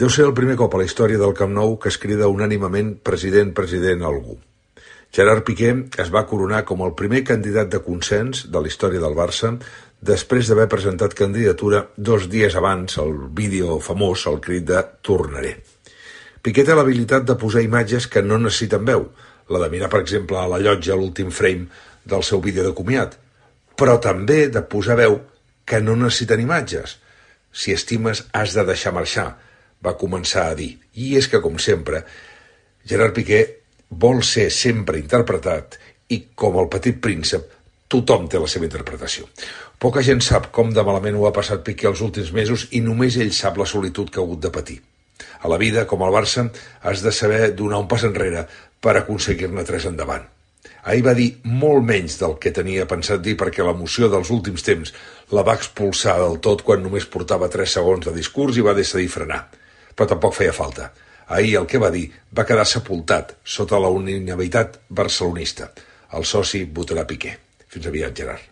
Deu ser el primer cop a la història del Camp Nou que es crida unànimement president a algú. Gerard Piqué es va coronar com el primer candidat de consens de la història del Barça després d'haver presentat candidatura 2 dies abans el vídeo famós, el crit de «Tornaré». Piqué té l'habilitat de posar imatges que no necessiten veu, la de mirar, per exemple, a la llotja a l'últim frame del seu vídeo de comiat, però també de posar veu que no necessiten imatges. Si estimes, has de deixar marxar, va començar a dir. I és que, com sempre, Gerard Piqué vol ser sempre interpretat i, com el Petit Príncep, tothom té la seva interpretació. Poca gent sap com de malament ho ha passat Piqué els últims mesos i només ell sap la solitud que ha hagut de patir. A la vida, com al Barça, has de saber donar un pas enrere per aconseguir-ne 3 endavant. Ahir va dir molt menys del que tenia pensat dir perquè l'emoció dels últims temps la va expulsar del tot quan només portava 3 segons de discurs i va decidir frenar. Però tampoc feia falta. Ahir el que va dir va quedar sepultat sota la unanimitat barcelonista. El soci votarà Piqué. Fins aviat, Gerard.